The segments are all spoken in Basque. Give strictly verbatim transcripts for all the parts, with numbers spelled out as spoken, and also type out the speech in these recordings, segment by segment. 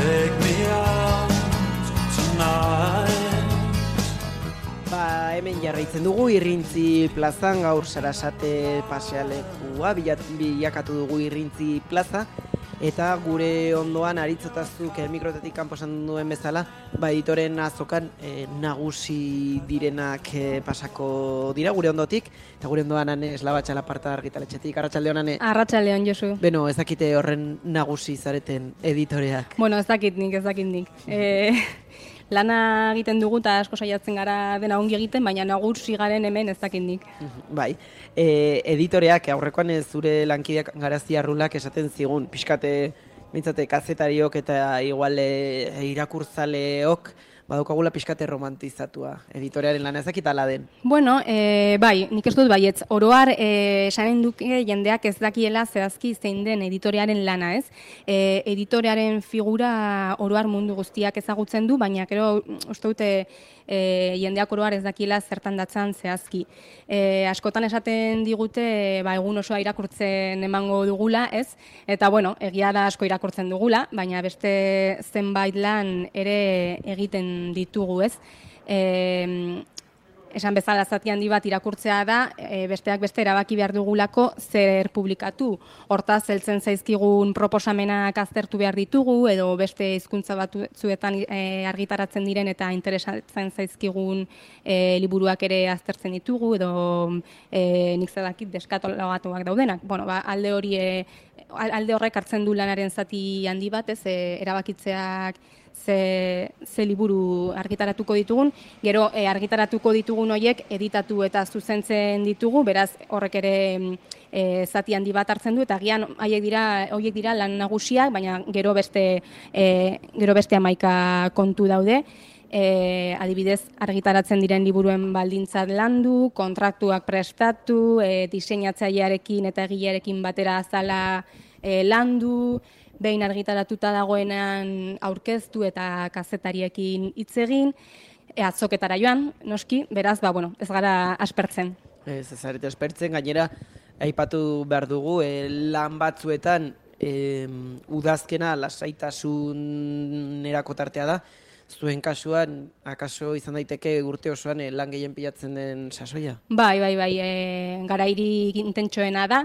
take me out tonight. Ba, hemen jarraitzen dugu Irrintzi plazan, gaur Sarasate pasealekua bilakatu dugu Irrintzi plaza, eta gure ondoan aritzotazuk mikrotetik kanpo esan duen bezala, ba, editoren azokan e, nagusi direnak e, pasako dira gure ondotik, eta gure ondoan ane Eslabatxa Laparta argitaletxetik. Arratsaldeon, ane? Arratsaldeon, Josu. Beno, ez dakite horren nagusi zareten editoreak. Bueno, ez dakit nik, ez dakit nik. E, lana egiten dugu eta asko saiatzen gara dena ongi egiten, baina nagusi garen hemen ez dakit nik. Bai, e, editoreak, aurrekoan ez zure lankideak Garazia Arrulak esaten zigun, pixkate, mintzate, kazetariok eta igual e, irakurtzaleok, badukagula pixkate romantizatua, editorearen lana, ez dakit ala den. Bueno, e, bai, nik ez dut baietz, oroar e, esanen duke jendeak ez dakiela zehazki zein den editorearen lana, ez? E, editorearen figura oroar mundu guztiak ezagutzen du, baina gero uste dute e, jendeak oroar ez dakiela zertan datzan zehazki. E, askotan esaten digute, ba, egun osoa irakurtzen emango dugula, ez? Eta, bueno, egia da asko irakurtzen dugula, baina beste zenbait lan ere egiten ditugu, ez? E, esan bezala zati handi bat irakurtzea da, e, besteak beste erabaki behar dugulako zer publikatu. Hortaz, heltzen zaizkigun proposamenak aztertu behar ditugu, edo beste hizkuntza batzuetan e, argitaratzen diren eta interesatzen zaizkigun e, liburuak ere aztertzen ditugu, edo e, nik zedakit deskatologatuak daudenak. Bueno, ba, alde hori e, alde horrek hartzen du lanaren zati handi bat, ez, e, erabakitzeak Ze, ze liburu argitaratuko ditugun, gero e, argitaratuko ditugun horiek editatu eta zuzentzen ditugu, beraz horrek ere e, zati handi bat hartzen du, eta agian haiek dira, horiek dira lan nagusiak, baina gero beste, e, gero beste hamaika kontu daude. E, adibidez, argitaratzen diren liburuen baldintzat landu, kontraktuak prestatu, e, diseinatzailearekin eta egilearekin batera azala e, landu, behin argitaratuta dagoenan aurkeztu eta kazetariekin hitz egin, e, azoketara joan, noski, beraz, ba, bueno, ez gara aspertzen. Ez, ez zarete aspertzen, gainera, aipatu behar dugu, e, lan batzuetan e, udazkena lasaitasunerako tartea da, zuen kasuan, akaso izan daiteke urte osoan e, lan gehien pilatzen den sasoia? Bai, bai, bai, e, garairi intentsoena da,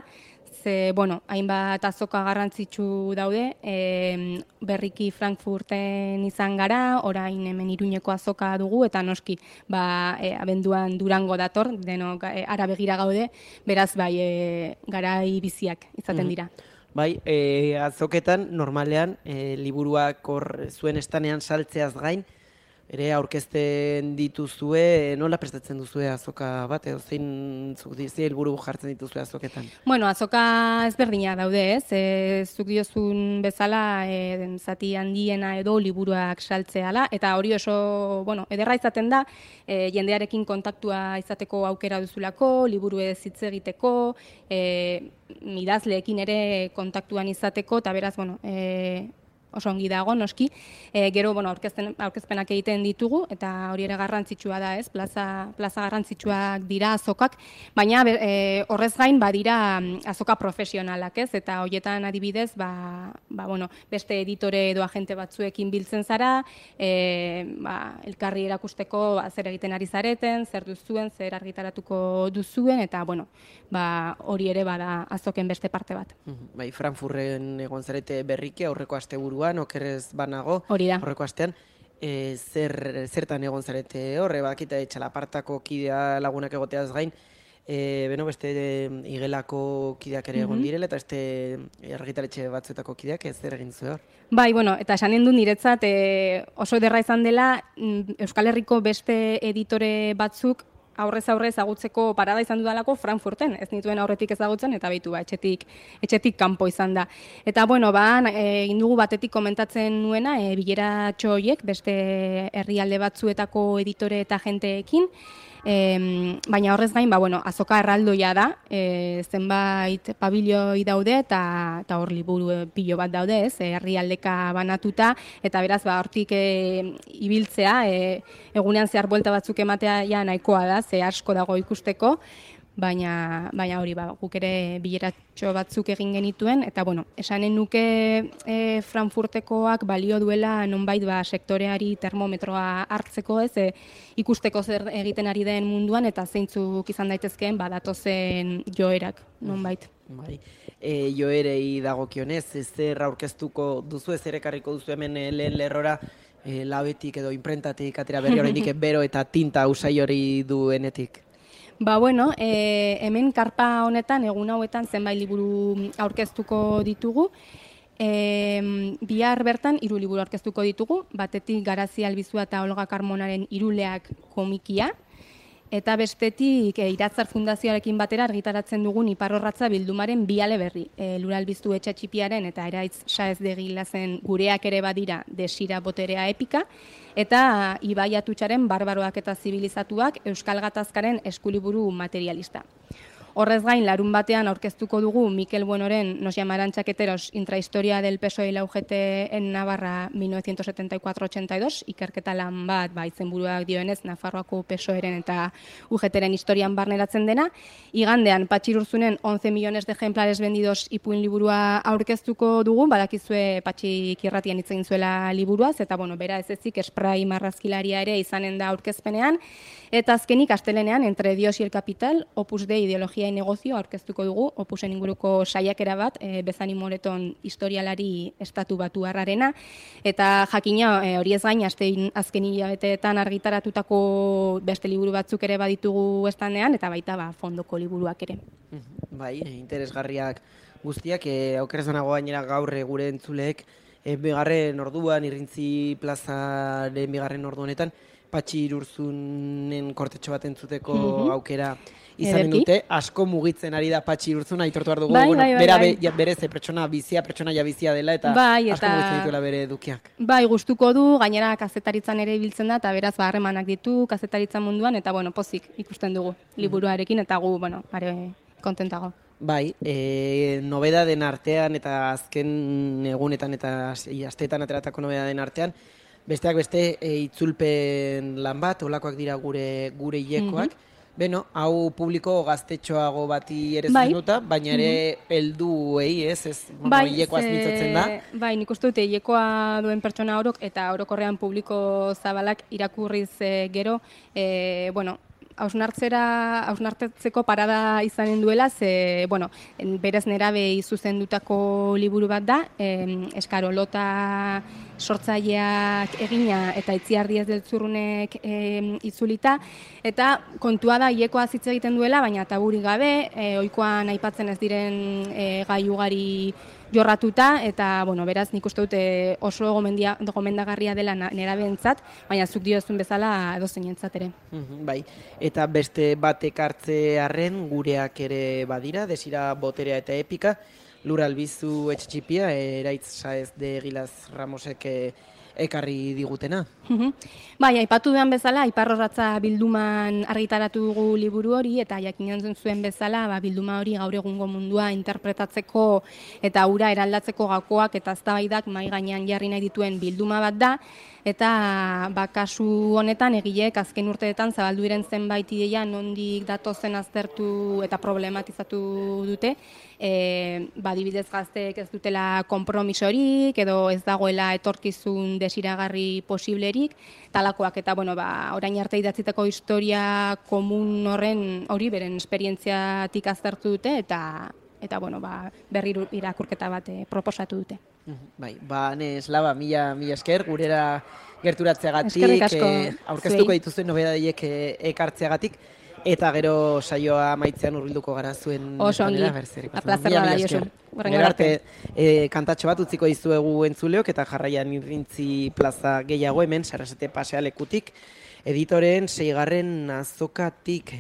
ze, bueno, hainbat azoka garrantzitsu daude, e, berriki Frankfurten izan gara, orain hemen Iruñeko azoka dugu, eta noski, ba, e, abenduan Durango dator, denok e, ara begira gaude, beraz, bai, e, garai biziak izaten dira. Bai, e, azoketan, normalean, e, liburuak hor zuen estanean saltzeaz gain, ere aurkezten dituzue, nola prestatzen duzue azoka bat, edo zein ze helburu jartzen dituzue azoketan? Bueno, azoka ezberdina daude, ez? E, zuk diozun bezala e, zati handiena edo liburuak saltzeala, eta hori oso, bueno, ederra izaten da, e, jendearekin kontaktua izateko aukera duzulako, liburuez hitz egiteko, e, idazleekin ere kontaktuan izateko, eta beraz, bueno, e, oso ongi dago, noski. E, gero, bueno, aurkezpenak egiten ditugu, eta hori ere garrantzitsua da, ez? Plaza, plaza garrantzitsuak dira azokak, baina e, horrez gain badira azoka profesionalak, ez? Eta horietan adibidez, ba, ba, bueno, beste editore edo agente batzuekin biltzen zara, e, ba, elkarri erakusteko ba, zer egiten ari zareten, zer duzuen, zer argitaratuko duzuen, eta, bueno, ba, hori ere bada azoken beste parte bat. Bai, Frankfurten egon zarete berriki aurreko asteburuan, okerrez banago, hori da. Aurreko astean, e, zer, zertan egon zarete horre, bakita Txalapartako kidea lagunak egoteaz gain, e, beno, beste e, igelako kideak ere egon direla, eta beste argitaletxe batzuetako kideak ez zer egin zuen hor. Bai, bueno, eta esanen du niretzat e, oso ederra izan dela Euskal Herriko beste editore batzuk aurrez aurrez ezagutzeko parada izan dudalako Frankfurten, ez nituen aurretik ezagutzen, eta beitu ba, etxetik, etxetik kanpo izan da. Eta, bueno, ba, egin dugu batetik komentatzen nuena, e, bileratxo horiek, beste herrialde batzuetako editore eta jenteekin, E, baina horrez gain, ba, bueno, azoka erraldoia da, e, zenbait pabilioi daude eta, eta hor liburu pilo bat daude, ez, herrialdeka banatuta, eta beraz, ba, hortik e, ibiltzea, e, egunean zehar buelta batzuk ematea ja nahikoa da, ze asko dago ikusteko, baina, baina hori ba, guk ere bileratxo batzuk egin genituen, eta bueno, esanen nuke e, Frankfurtekoak balio duela nonbait ba, sektoreari termometroa hartzeko ez, e, ikusteko zer egiten ari den munduan, eta zeintzuk izan daitezkeen badatozen joerak nonbait. Bai. E, joerei dagokionez, zer aurkeztuko duzu, zer ekarriko duzu hemen lehen lerrora, e, labetik edo imprentatik atera berri oraindik bero eta tinta usai hori duenetik? Ba, bueno, e, hemen karpa honetan, egun hauetan zenbait liburu aurkeztuko ditugu. E, bihar bertan hiru liburu aurkeztuko ditugu, batetik Garazi Albizua eta Olga Carmonaren Iruleak komikia, eta bestetik e, Iratzar Fundazioarekin batera argitaratzen dugun Iparrorratza bildumaren bi ale berri. E, Lur Albiztu Etxatxipiaren eta Eraitz Saez de Gilazen Gureak ere badira Desira Boterea epika, eta Ibai Atutxaren Barbaroak eta Zibilizatuak Euskal Gatazkaren eskuliburu materialista. Horrez gain, larun batean aurkeztuko dugu Mikel Buenoren Nos llamarán chaqueteros, intrahistoria del P S O E y la U G T en Navarra mil novecientos setenta y cuatro ochenta y dos, ikerketa lan bat, ba, izenburuak dioenez, Nafarroako P S O E-ren eta U G T-ren historian barneratzen dena. Igandean, Patxi Urzunen once millones de ejemplares vendidos ipuin liburua aurkeztuko dugu, badakizue Patxi Kirratian hitz egin zuela liburuaz, eta bueno, bera ez ezik esprai marrazkilaria ere izanen da aurkezpenean. Eta azkenik, astelenean, Entre Dios y el Capital, Opus Dei Ideologia y Negozio aurkeztuko dugu, Opusen inguruko saiakera bat, e, Bezani Moreton historialari estatu batu harrarena, eta jakina e, hori ez gain, azten, azken hilabeteetan argitaratutako beste liburu batzuk ere baditugu estandean, eta baita ba, fondoko liburuak ere. Bai, interesgarriak guztiak, e, aukeraz nago gainera gaur gure entzuleek, e, bigarren orduan, Irrintzi plazaren bigarren ordu honetan, Patxi Urzunen kortetxo bat entzuteko mm-hmm. aukera izanen dute, asko mugitzen ari da Patxi Urzuna, aitortu behar dugu, bai, bueno, bai, bai, bera bai. Be, berez, pertsona bizia, pertsona ja bizia dela, eta bai, asko eta, mugitzen dituela bere edukiak. Bai, gustuko du, gainera kazetaritzan ere ibiltzen da, eta beraz ba, harremanak ditu kazetaritza munduan, eta bueno, pozik ikusten dugu liburuarekin, eta gu, bueno, are kontentago. Bai, e, nobedaden artean, eta azken egunetan, eta asteetan ateratako nobedaden artean, besteak beste e, itzulpen lan bat, olakoak dira gure gure hilekoak. Mm-hmm. Beno, hau publiko gaztetxoago bati ere bai. Zenuta, baina ere mm-hmm. helduei, ez, ez, bai, hilekoaz mintzatzen da. Bai, nik uste dute hilekoa duen pertsona orok eta orokorrean publiko zabalak irakurriz e, gero, e, bueno, hausnartzera, hausnartzeko parada izanen duela, ze, bueno, berez nerabei zuzendutako liburu bat da, eh, Eskarolota sortzaileak egina eta Itziar Diez Deltzurrunek eh, itzulita, eta kontua da hilekoa hitz egiten duela, baina taburik gabe, eh, ohikoan aipatzen ez diren eh, gai ugari jorratuta, eta, bueno, beraz, nik uste dute oso gomendia, gomendagarria dela nerabeentzat, baina zuk diozun bezala edozein ere. Mm-hmm, bai, eta beste batek hartze arren gureak ere badira, Desira Boterea eta Epika, Lur Albizu Etxatxipia, Eraitz Saez de Gilaz Ramosek ekarri digutena. Bai, aipatu duan bezala, Iparrorratza bilduman argitaratu dugu liburu hori, eta jakinen zuen bezala, ba, bilduma hori gaur egungo mundua interpretatzeko eta ura eraldatzeko gakoak eta eztabaidak mai gainean jarri nahi dituen bilduma bat da, eta ba, kasu honetan egileek azken urteetan zabaldu diren zenbait ideia nondik datozen aztertu eta problematizatu dute, e, ba, adibidez gazteek ez dutela konpromisorik edo ez dagoela etorkizun desiragarri posiblerik, talakoak eta bueno, ba, orain arte idatzitako historia komun horren hori beren esperientziatik aztertu dute eta eta bueno, ba, berri irakurketa bat eh, proposatu dute. Bai, ba, ne, Slava, mila, mila esker, gurera gerturatzeagatik, eskerrik asko, eh, aurkeztuko dituzuen nobedadiek eh, ekartzeagatik, eta gero saioa maitzean urbilduko gara zuen. Oso ongi, aplazerra da, Josu. Gero arte, eh, kantatxo bat utziko dizuegu entzuleok, eta jarraian Irrintzi plaza gehiago hemen, Sarasate pasealekutik, editoreen seigarren azokatik.